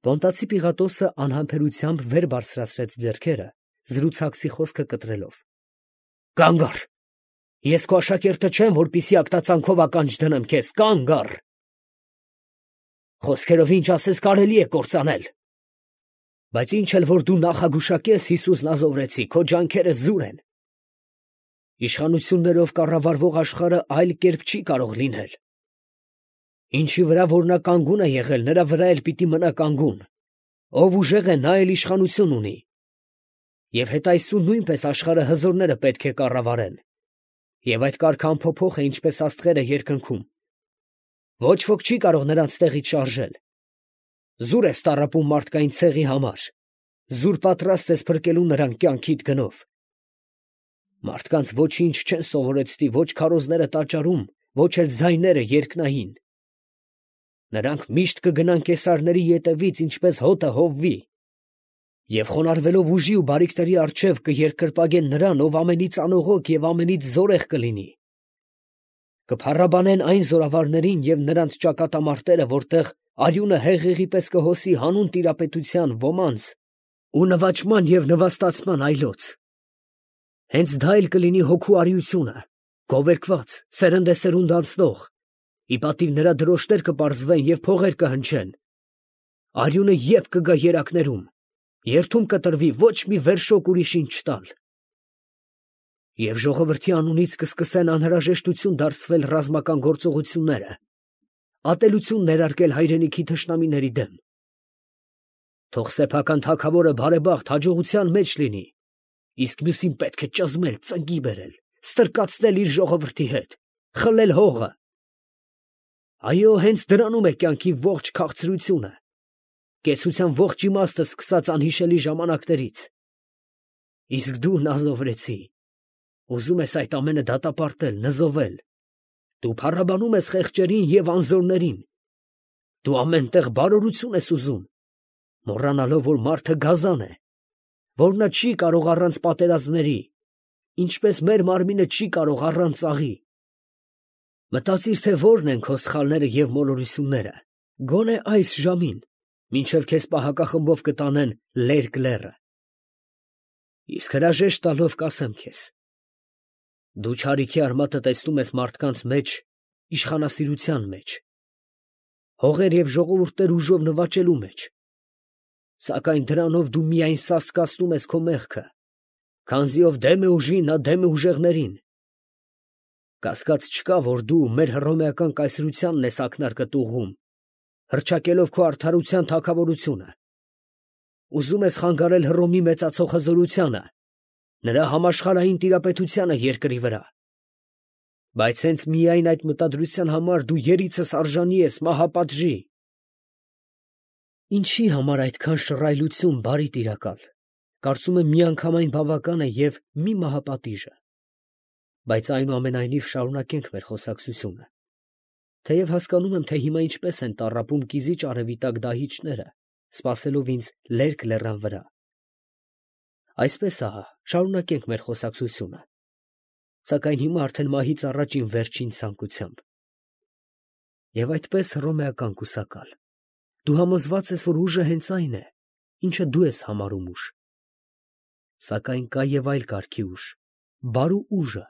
Տոնտացի Պիղատոսը անհամբերությամբ վեր բարձրացրեց ձեռքերը, զրուցակցի խոսքը կտրելով։ Կանգ առ, ես քո աշակերտը չեմ, որպեսզի ակտածանքով ականջ դնեմ քեզ, կանգ առ։ Խոսքերով ինչ ասես կարելի է կործանել։ Բայց ինչ էլ որ դու նախագուշակես Հիսուսն ազովրեցի, քո ջանքերը զուր են։ Իշխանություններով կառավարվող աշխարհը այլ կերպ չի կարող լինել։ Ինչի վրա որ նա կանգուն է եղել, նրա վրա էլ պիտի մնա կանգուն։ Ով ուժեղ է, նա էլ իշխանություն ունի։ Եվ հետայսու նույնպես աշխարհը հզորները պետք է կառավարեն։ Եվ այդ կարգը անփոփոխ է, ինչպես աստղերը երկնքում։ Ոչ ոք չի կարող նրանց տեղից շարժել։ Զուր ես տառապում մարդկային ցեղի համար։ Զուր պատրաստ ես փրկելու նրան կյանքիդ գնով։ Մարդկանց ոչինչ չեն սովորեցնի, ոչ քարոզները տաճարում, ոչ էլ ձայները երկնային։ Նրանք միշտ կգնան կեսարների ետևից, ինչպես հոտը հովվի, և խոնարհվելով ուժի ու բարիքների առջև կերկրպագեն նրան, ով ամենից անողոք և ամենից զորեղ կլինի։ Կփառաբանեն այն զորավարներին և նրանց ճակատամարտերը, որտեղ արյունը հեղեղի պես կհոսի հանուն տիրապետության ոմանց ու նվաճման և նվաստացման այլոց։ Հենց դա էլ կլինի հոգու արիությունը, գովերգված, սերնդեսերունդ անցնող, ի պատիվ նրա դրոշտեր կպարզվեն և փողեր կհնչեն։ Արյունը ետ կգա երակներում, երդում կտրվի ոչ մի վերշոկ ուրիշին չտալ։ Եվ ժողովրդի անունից կսկսեն անհրաժեշտություն դարձվել ռազմական գործողությունները, ատելություն ներարկել հայրենիքի թշնամիների դեմ։ Թող սեփական թագավորը բարեբախտ հաջողության մեջ լինի, իսկ մյուսին պետք է ճզմել, ծնկի բերել, ստրկացնել իր ժողովրդի հետ, խլել հողը։ Այո, հենց դրանում է կյանքի ողջ քաղցրությունը, կեցության ողջ իմաստը սկսած անհիշելի ժամանակներից։ Իսկ դու նազովրեցի, ուզում ես այդ ամենը դատապարտել, նզովել։ Դու փառաբանում ես խեղճերին և անզորներին։ Դու ամեն տեղ բարօրություն ես ուզում, մոռանալով, որ մարդը գազան է, որ նա չի կարող առանց պատերազմների, ինչպես մեր մարմինը չի կարող առանց աղի։ Մտածիր, թե որն են քո սխալները և մոլորությունները, գոնե այս ժամին, մինչև քեզ պահակախմբով կտանեն լերկ լեռը։ Իսկ հրաժեշտ տալով կասեմ քեզ. դու չարիքի արմատը տեսնում ես մարդկանց մեջ, իշխանասիրության մեջ, հողեր և ժողովուրդներ ուժով նվաճելու մեջ, սակայն դրանով դու միայն սաստկացնում ես քո մեղքը, քանզի ով դեմ է ուժին, նա դեմ է ուժեղներին։ Կասկած չկա, որ դու մեր հռոմեական կայսրությանն ես ակնարկդ ուղղում, հռչակելով քո արդարության թագավորությունը։ Ուզում ես խանգարել Հռոմի մեծացող հզորությանը, նրա համաշխարհային տիրապետությանը երկրի վրա։ Բայց հենց միայն այդ մտադրության համար դու երիցս արժանի ես մահապատժի։ Ինչի համար այդքան շռայլություն, բարի տիրակալ, կարծում եմ միանգամայն բավական է և մի մահապատիժը։ Բայց այնուամենայնիվ շարունակենք մեր խոսակցությունը, թեև հասկանում եմ, թե հիմա ինչպես են տառապում կիզիչ արևիտակ դահիճները, սպասելով ինձ լերկ լեռան վրա։ Այսպես ահա, շարունակենք մեր խոսակցությունը, սակայն հիմա արդեն մահից առաջ իմ վերջին ցանկությամբ։ Եվ այդպես հռոմեական կուսակալ, դու համոզված ես, որ ուժը հենց այն է, ինչը դու ես համարում ուժ։ Սակայն կա և այլ կարգի ուժ, բարու ուժը,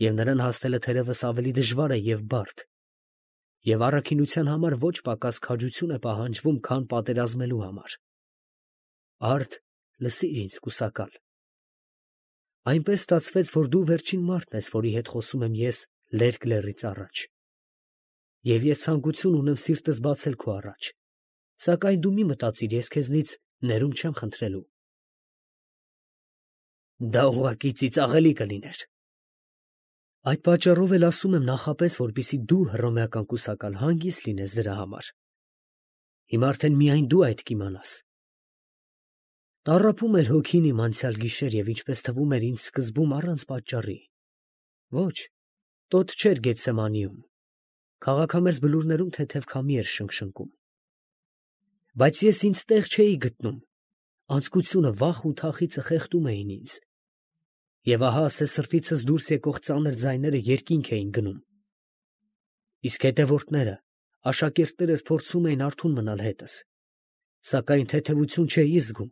և նրան հասնելը թերևս ավելի դժվար է և բարդ, և առաքինության համար ոչ պակաս քաջություն է պահանջվում, քան պատերազմելու համար։ Արդ, լսիր ինձ, կուսակալ։ Այնպես ստացվեց, որ դու վերջին մարդն ես, որի հետ խոսում եմ ես լերկ լեռից առաջ։ Եվ ես ցանկություն ունեմ սիրտս բացել քո առաջ, սակայն դու մի մտածիր, ես քեզնից ներում չեմ խնդրելու։ Դա ուղղակի ծիծաղելի կլիներ։ Այդ պատճառով էլ ասում եմ նախապես, որպեսզի դու հռոմեական կուսակալ հանգիստ լինես դրա համար։ Հիմա արդեն միայն դու այդ կիմանաս։ Տառապում էր հոգին իմ անցյալ գիշեր և ինչպես թվում էր ինձ սկզբում առանց պատճառի։ Ոչ, տոտ չէր Գեթսեմանիում, քաղաքամերձ բլուրներում թեթև քամի էր շնշնկում։ Բայց ես ինձ տեղ չէի գտնում, անձկությունը, վախ ու թախիծը խեղդում էին ինձ։ Եվ ահա ասես սրտիցս դուրս եկող ծանր ձայները երկինք էին գնում։ Իսկ հետևորդները, աշակերտներս փորձում էին արթուն մնալ հետս, Սակայն թեթևություն չէի զգում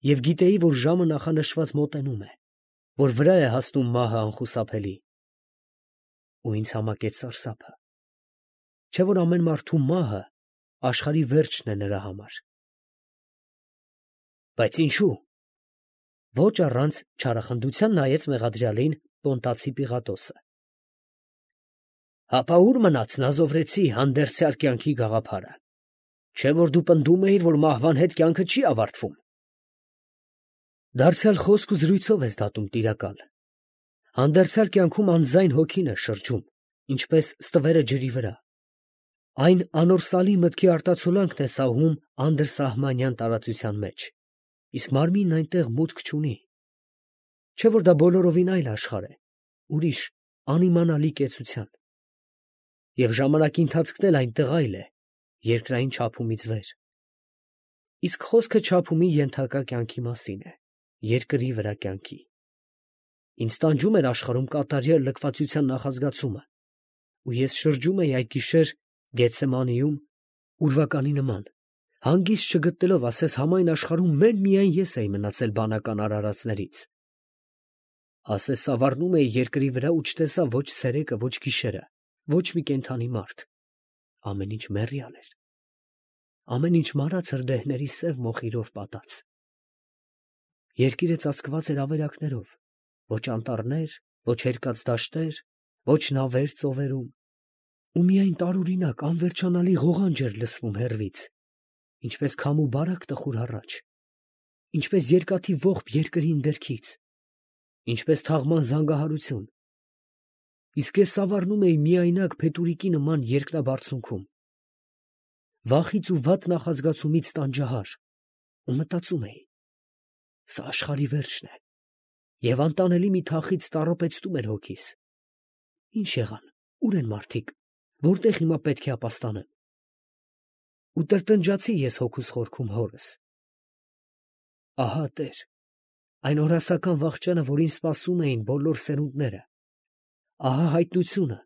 և գիտեի, որ ժամը նախանշված մոտենում է, որ վրա է հասնում մահը անխուսափելի։ Ու ինձ համակեց սարսափը, չէ՞ որ ամեն մարդու մահը աշխարհի վերջն է նրա համար։ Բայց ինչու՞։ Ոչ առանց չարախնդության նայեց մեղադրյալին Պոնտացի Պիղատոսը։ Հապա ո՞ւր մնաց նազովրեցի հանդերձյալ կյանքի գաղափարը։ Չէ՞ որ դու պնդում էիր, որ մահվան հետ կյանքը չի ավարտվում։ Դարձյալ խոսք ու զրույցով ես դատում տիրակալ։ Հանդերձյալ կյանքում անձայն հոգին է շրջում, ինչպես ստվերը ջրի վրա։ Այն անորսալի մտքի արտացոլանքն է սահում անդրսահմանյան տարածության մեջ, իսկ մարմինն այնտեղ մուտք չունի։ Չէ՞ որ դա բոլորովին այլ աշխարհ է, ուրիշ, անիմանալի կեցության։ Եվ ժամանակի ընթացքն էլ այնտեղ այլ է, երկրային չափումից վեր։ Իսկ խոսքը չափումի ենթակա կյանքի մասին է, երկրի վրա կյանքի։ Ինձ տանջում էր աշխարհում կատարյալ լքվածության նախազգացումը, ու ես շրջում էի այդ գիշեր Գեթսեմանիում ուրվականի նման, հանգիստ չգտնելով, ասես համայն աշխարհում միայն ես էի մնացել բանական արարածներից։ Ասես սավառնում էի երկրի վրա ու չտեսա ոչ ցերեկը, ոչ գիշերը, ոչ մի կենդանի մարդ։ Ամեն ինչ մեռյալ էր։ Ամեն ինչ մարած հրդեհների սև մոխիրով պատած։ Երկիրը ծածկված էր ավերակներով, ոչ անտառներ, ոչ հերկած դաշտեր, ոչ նավեր ծովերում, ու միայն տարօրինակ անվերջանալի ղողանջ էր լսվում հեռվից, ինչպես քամու բարակ տխուր հառաչ, ինչպես երկաթի ողբ երկրի ընդերքից, ինչպես թաղման զանգահարություն։ Իսկ ես սավառնում էի միայնակ փետուրիկի նման երկնաբարձունքում, վախից ու վատ նախազգացումից տանջահար, ու մտածում էի. սա աշխարհի վերջն է, և անտանելի մի թախիծ տառապեցնում էր հոգիս. ինչ եղան, ո՞ւր են մարդիկ, որտեղ հիմա պետք է ապաստանեմ։ Ու տրտնջացի ես հոգուս խորքում հորս. ահա Տեր, այն օրհասական վախճանը, որին սպասում էին բոլոր սերունդները, ահա հայտնությունը,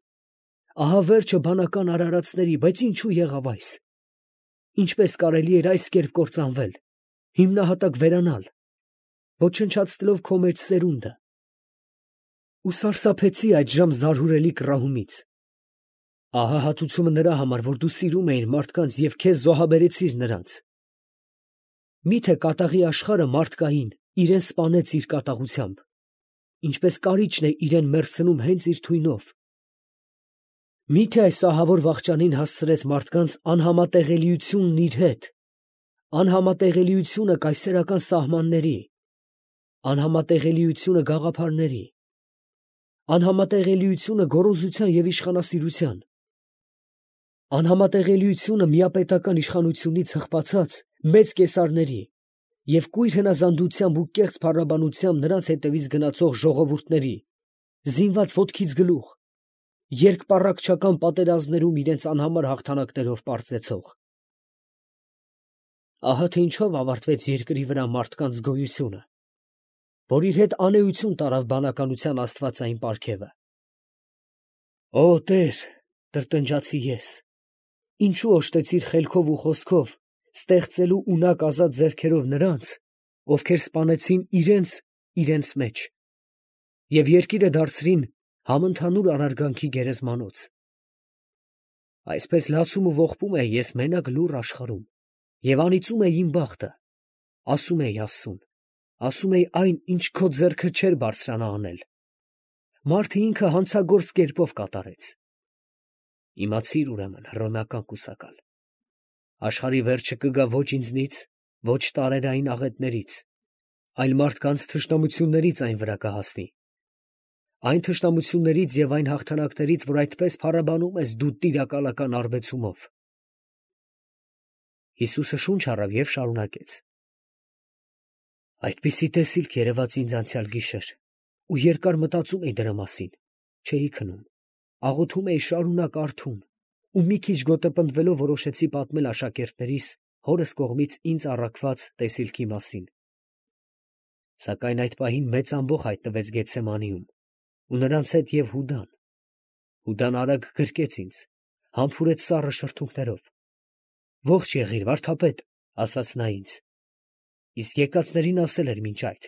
ահա վերջը բանական արարածների, բայց ինչու եղավ այս։ Ինչպես կարելի էր այս կերպ կործանվել, հիմնահատակ վերանալ, ոչնչացնելով քո մեջ սերունդը։ Ու սարսափեցի այդժամ զարհուրելի կռահումից։ Ահա հատուցումը նրա համար, որ դու սիրում էիր մարդկանց և քեզ զոհաբերեցիր նրանց։ Միթե կատաղի աշխարհը մարդկային իրեն սպանեց իր կատաղությամբ, ինչպես կարիճն է իրեն մեռցնում հենց իր թույնով։ Միթե այս ահավոր վախճանին հասցրեց մարդկանց անհամատեղելիությունն իր հետ, անհամատեղելիությունը կայսերական սահմանների, անհամատեղելիությունը գաղափարների, անհամատեղելիությունը գոռոզության և իշխանասիրության, անհամատեղելիությունը միապետական իշխանությունից հղպացած մեծ կեսարների և կույր հնազանդությամբ ու կեղծ փառաբանությամբ նրանց հետևից գնացող ժողովուրդների, զինված ոտքից գլուխ, երկպառակտչական պատերազմներում իրենց անհամար հաղթանակներով պարծեցող։ Ահա թե ինչով ավարտվեց երկրի վրա մարդկանց գոյությունը, որ իր հետ անէություն տարավ բանականության աստվածային պարգևը։ Օ Տեր, տրտնջացի ես, ինչու օժտեցիր խելքով ու խոսքով ստեղծելու ունակ ազատ ձեռքերով նրանց, ովքեր սպանեցին իրենց մեջ, և երկիրը դարձրին համընդհանուր անարգանքի գերեզմանոց։ Այսպես լացում ու ողբում էի ես մենակ լուռ աշխարհում և անիծում էի իմ բախտը, ասում էի Աստծուն, ասում էի այն, ինչ քո ձեռքը չէր բարձրանա անել, մարդը ինքը հանցագործ կերպով կատարեց։ Իմացիր ուրեմն, հռոմեական կուսակալ, աշխարհի վերջը կգա ոչ ինձնից, ոչ տարերային աղետներից, այլ մարդկանց թշնամություններից այն վրա կհասնի, այն թշնամություններից և այն հաղթանակներից, որ այդպես փառաբանում ես դու տիրակալական արբեցումով։ Հիսուսը շունչ առավ և շարունակեց. այդպիսի տեսիլք երևաց ինձ անցյալ գիշեր, ու երկար մտածում էի դրա մասին, չէի քնում, աղոթում էի շարունակ արթուն, ու մի քիչ գոտեպնդվելով որոշեցի պատմել աշակերտներիս հորս կողմից ինձ առաքված տեսիլքի մասին։ Սակայն այդ պահին մեծ ամբոխ հայտնվեց Գեթսեմանիում, ու նրանց հետ և Հուդան։ Հուդան արագ գրկեց ինձ, համբուրեց սառը շրթունքներով. ողջ եղիր, վարդապետ, ասաց նա ինձ, իսկ եկածներին ասել էր մինչ այդ.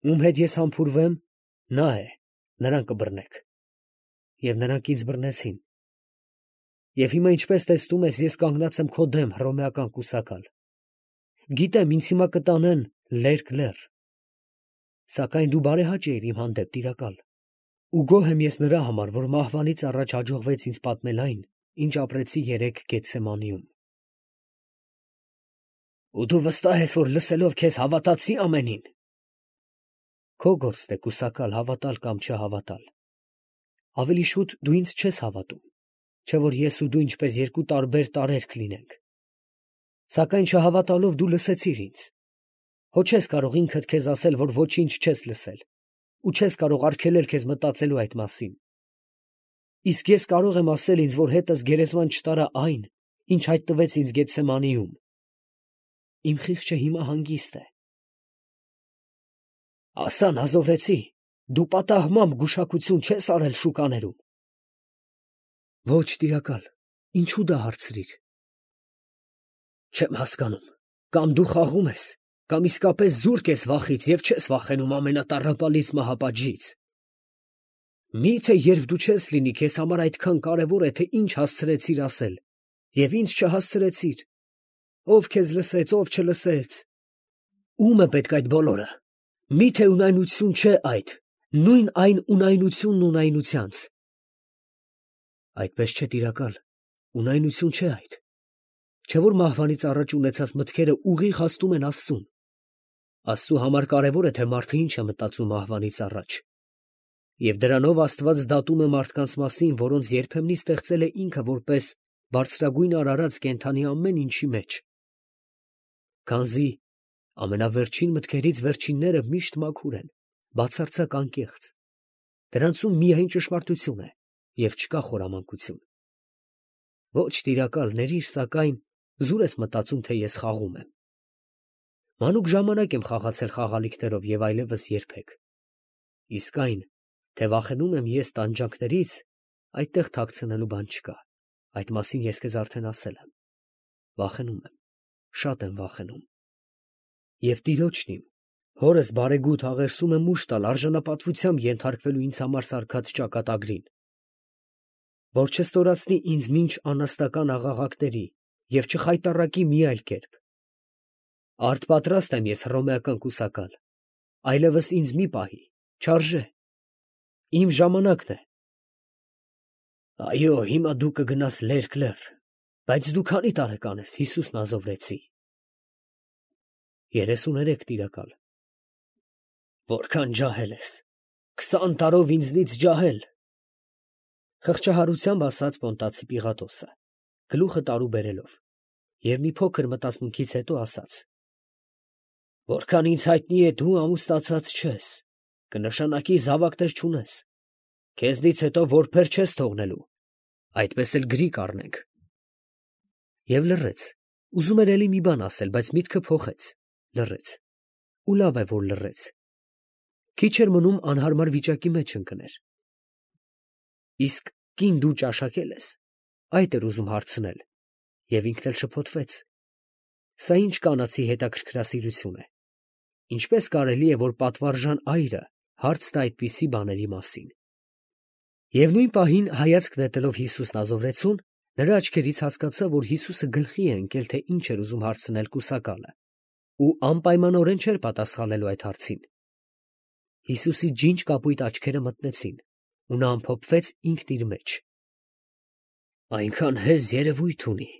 ում հետ ես համբուրվեմ, նա է, նրան կբռնեք։ Եվ նրանք ինձ բռնեցին։ Եվ հիմա, ինչպես տեսնում ես, ես կանգնած եմ քո դեմ, հռոմեական կուսակալ։ Գիտեմ, ինձ հիմա կտանեն լերկ լեռ։ Սակայն դու բարեհաճ էիր իմ հանդեպ, տիրակալ։ Ու գոհ եմ ես նրա համար, որ մահվանից առաջ հաջողվեց ինձ պատմել այն, ինչ ապրեցի երեկ Գեթսեմանիում։ Ու դու վստահ ես, որ լսելով քեզ հավատացի ամենին։ Քո գործն է կուսակալ հավատալ կամ չհավատալ։ Ավելի շուտ դու ինձ չես հավատում, չէ՞ որ ես ու դու ինչպես երկու տարբեր տարրեր կլինենք։ Սակայն չհավատալով դու լսեցիր ինձ։ Հո չես կարող ինքդ քեզ ասել, որ ոչինչ չես լսել, ու չես կարող արգելել քեզ մտածելու այդ մասին։ Իսկ ես կարող եմ ասել ինձ, որ հետս գերեզման չտարա այն, ինչ հայտնվեց ինձ Գեթսեմանիում։ Իմ խիղճը հիմա հանգիստ է։ Ասա, Նազովրեցի, դու պատահմամբ գուշակություն չես արել շուկաներում։ Ոչ, տիրակալ, ինչու դա հարցրիր։ Չեմ հասկանում, կամ դու խաղում ես, կամ իսկապես զուրկ ես վախից և չես վախենում ամենատառապալից մահապատժից։ Մի՞թե երբ դու չես լինի, քեզ համար այդքան կարևոր է, թե ինչ հասցրեցիր ասել, և ինձ չհասցրեցիր։ Ով քեզ լսեց, ով չլսեց։ Ում է պետք այդ բոլորը։ Մի՞թե ունայնություն չէ այդ, նույն այն ունայնությունն ունայնությանց։ Այդպես չէ, տիրակալ, ունայնություն չէ այդ։ Չէ՞ որ մահվանից առաջ ունեցած մտքերը ուղիղ հասնում են Աստծուն։ Աստծու համար կարևոր է, թե մարդը ինչ է մտածում մահվանից առաջ։ Եվ դրանով Աստված դատում է մարդկանց մասին, որոնց երբեմնի ստեղծել է ինքը որպես բարձրագույն արարած կենդանի ամեն ինչի մեջ։ Քանզի ամենավերջին մտքերից վերջինները միշտ մաքուր են, բացարձակ անկեղծ։ Դրանցում միայն ճշմարտություն է, և չկա խորամանկություն։ Ոչ, տիրակալ, ներիր, սակայն զուր ես մտածում, թե ես խաղում եմ։ Մանուկ ժամանակ եմ խաղացել խաղալիքներով և այլևս երբեք։ Իսկ այն, թե վախենում եմ ես տանջանքներից, այդտեղ թաքցնելու բան չկա։ Այդ մասին ես քեզ արդեն ասել եմ։ Վախենում եմ, շատ եմ վախենում։ Եվ տիրոջն իմ, հորս բարեգութ աղերսում եմ ուժ տալ արժանապատվությամբ ենթարկվելու ինձ համար սարքած ճակատագրին, որ չստորացնի ինձ մինչ անաստական աղաղակների և չխայտառակի մի այլ կերպ։ Արդ պատրաստ եմ ես հռոմեական կուսակալ, այլևս ինձ մի պահի, չարժե։ Իմ ժամանակն է։ Այո, հիմա դու կգնաս լերկ լեռ, բայց դու քանի տարեկան ես, Հիսուս Նազովրեցի։ 33, տիրակալ։ Որքան ջահել ես, 20 տարով ինձնից ջահել։ Խղճահարությամբ ասաց Պոնտացի Պիղատոսը, գլուխը տարուբերելով, և մի փոքր մտածմունքից հետո ասաց. Որքան ինձ հայտնի է, դու ամուսնացած չես, կնշանակի զավակներ չունես, քեզնից հետո որբեր չես թողնելու, այդպես էլ գրի կառնենք։ Եվ լռեց, ուզում էր էլի մի բան ասել, բայց միտքը փոխեց, լռեց, ու լավ է, որ լռեց։ Քիչ էր մնում անհարմար վիճակի մեջ ընկներ։ Իսկ կին դու ճաշակել ես, այդ էր ուզում հարցնել, և ինքն էլ շփոթվեց։ Սա ինչ կանացի հետաքրքրասիրություն է։ Ինչպես կարելի է, որ պատվարժան այրը հարց տա այդպիսի բաների մասին։ Եվ նույն պահին հայացք նետելով Հիսուս Նազովրեցուն, նրա աչքերից հասկացա, որ Հիսուսը գլխի է ընկել, թե ինչ էր ուզում հարցնել կուսակալը, ու անպայմանորեն չէր պատասխանելու այդ հարցին։ Հիսուսի ջինջ կապույտ աչքերը մթնեցին, ու նա ամփոփվեց ինքն իր մեջ։ Այնքան հեզ երևույթ ունի,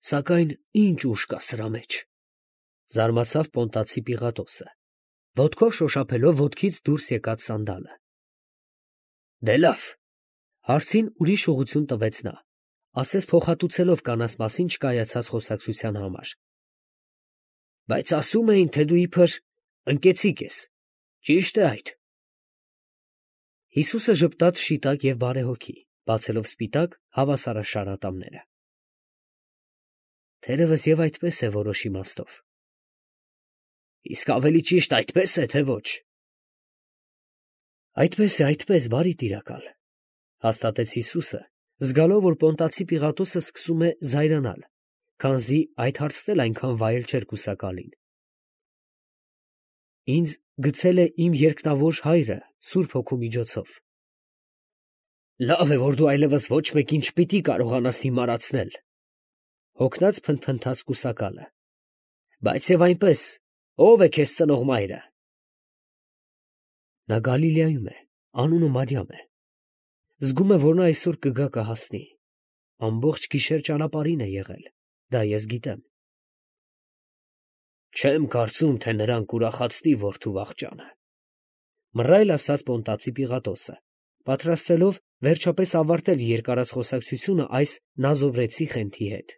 սակայն ինչ ուժ կա սրա մեջ, զարմացավ Պոնտացի Պիղատոսը, ոտքով շոշափելով ոտքից դուրս եկած սանդալը։ Դե լավ, հարցին ուրիշ ուղղություն տվեց նա, ասես փոխհատուցելով կանանց մասին չկայացած խոսակցության համար։ Բայց ասում էին, թե դու իբր ընկեցիկ ես, ճի՞շտ է այդ։ Հիսուսը ժպտաց շիտակ և բարեհոգի, բացելով սպիտակ հավասարաշար ատամները։ Թերևս և այդպես է որոշ իմաստով։ Իսկ ավելի ճիշտ այդպես է, թե ոչ։ Այդպես, բարի տիրակալ, հաստատեց Հիսուսը, զգալով, որ Պոնտացի Պիղատոսը սկսում է զայրանալ, քանզի այդ հարցն էլ այնքան վայել չէր կուսակալին։ Ինձ գցել է իմ երկնավոր հայրը Սուրբ Հոգու միջոցով։ Լավ է, որ դու այլևս ոչ մեկին չպիտի կարողանաս հիմարացնել, հոգնած փնթփնթաց կուսակալը։ Բայց եւ այնպես, ո՞վ է քեզ ծնող մայրը։ Նա Գալիլեայում է, անունը Մարիամ է։ Զգում է, որ նա այսօր կգա կհասնի։ Ամբողջ գիշեր ճանապարհին է եղել, դա ես գիտեմ։ Չեմ կարծում, թե նրան կուրախացնի որդու վախճանը, մռայլ ասաց Պոնտացի Պիղատոսը, պատրաստվելով վերջապես ավարտել երկարած խոսակցությունը այս նազովրեցի խենթի հետ։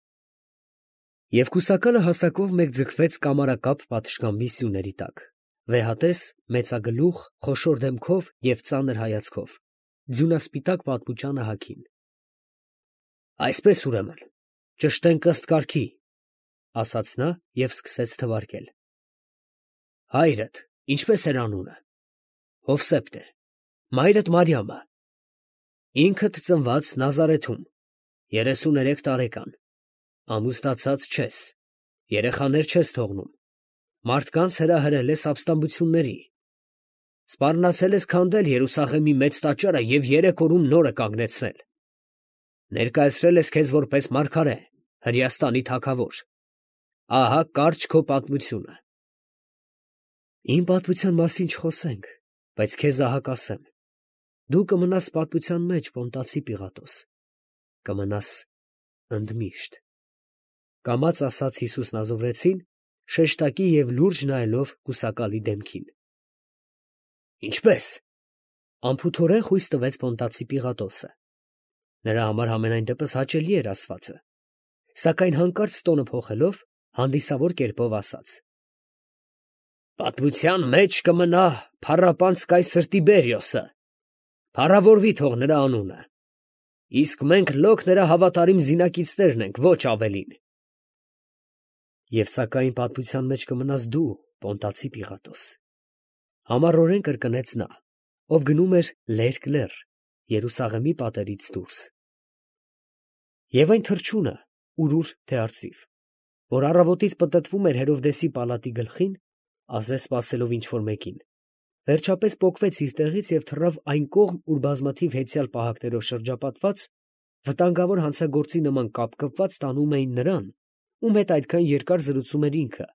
Եվ կուսակալը հասակով մեկ ձգվեց կամարակապ պատշգամբի սյուների տակ, վեհատես, մեծագլուխ, խոշոր դեմքով և ծանր հայացքով, ձյունասպիտակ պատմուճանը հագին։ Այսպես ուրեմն, ճշտենք ըստ կարգի, ասաց նա և սկսեց թվարկել։ Հայրդ ինչպես էր անունը։ Հովսեփ է, մայրդ Մարիամը, ինքդ ծնված Նազարեթում, 33 տարեկան, ամուսնացած չես, երեխաներ չես թողնում, մարդկանց հրահրել ես ապստամբությունների, սպառնացել ես քանդել Երուսաղեմի մեծ տաճարը և 3 օրում նորը կանգնեցնել, ներկայացրել ես քեզ որպես մարգարե, Հրեաստանի թագավոր, ահա կարճ քո պատմությունը։ Իմ պատմության մասին չխոսենք, բայց քեզ ահա կասեմ, դու կմնաս պատմության մեջ, Պոնտացի Պիղատոս, կմնաս ընդմիշտ, կամաց ասաց Հիսուս Նազովրեցին, շեշտակի և լուրջ նայելով կուսակալի դեմքին։ Ինչպես։ Անփութորեն խույս տվեց Պոնտացի Պիղատոսը։ Նրա համար համենայն դեպս հաճելի էր ասվածը, սակայն հանկարծ տոնը փոխելով, հանդիսավոր կերպով ասաց. Պատմության մեջ կմնա փառապանծ կայսր Տիբերիոսը, փառավորվի թող նրա անունը, իսկ մենք լոկ նրա հավատարիմ զինակիցներն ենք, ոչ ավելին։ Եվ սակայն պատմության մեջ կմնաս դու, Պոնտացի Պիղատոս, համառորեն կրկնեց նա, ով գնում էր լերկ լեռ, Երուսաղեմի պատերից դուրս։ Եվ այն թռչունը, ուրուր թե արծիվ, որ առավոտից պտտվում էր Հերովդեսի պալատի գլխին, ասես սպասելով ինչ-որ մեկին, վերջապես պոկվեց իր տեղից և թռավ այն կողմ, ուր բազմաթիվ հեծյալ պահակներով շրջապատված, վտանգավոր հանցագործի նման կապկպված տանում էին նրան, ում հետ այդքան երկար զրուցում էր ինքը,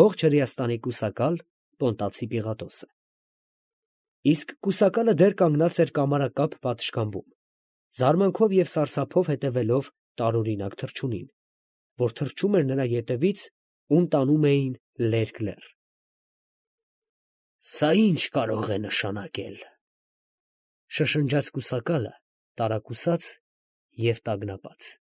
ողջ Հրեաստանի կուսակալ Պոնտացի Պիղատոսը։ Իսկ կուսակալը դեռ կանգնած էր կամարակապ պատշգամբում, զարմանքով և սարսափով հետևելով տարօրինակ թռչունին, որ թռչում էր նրա ետևից, ում տանում էին լերկ լեռ։ Սա ի՞նչ կարող է նշանակել, շշնջաց կուսակալը, տարակուսած և տագնապած։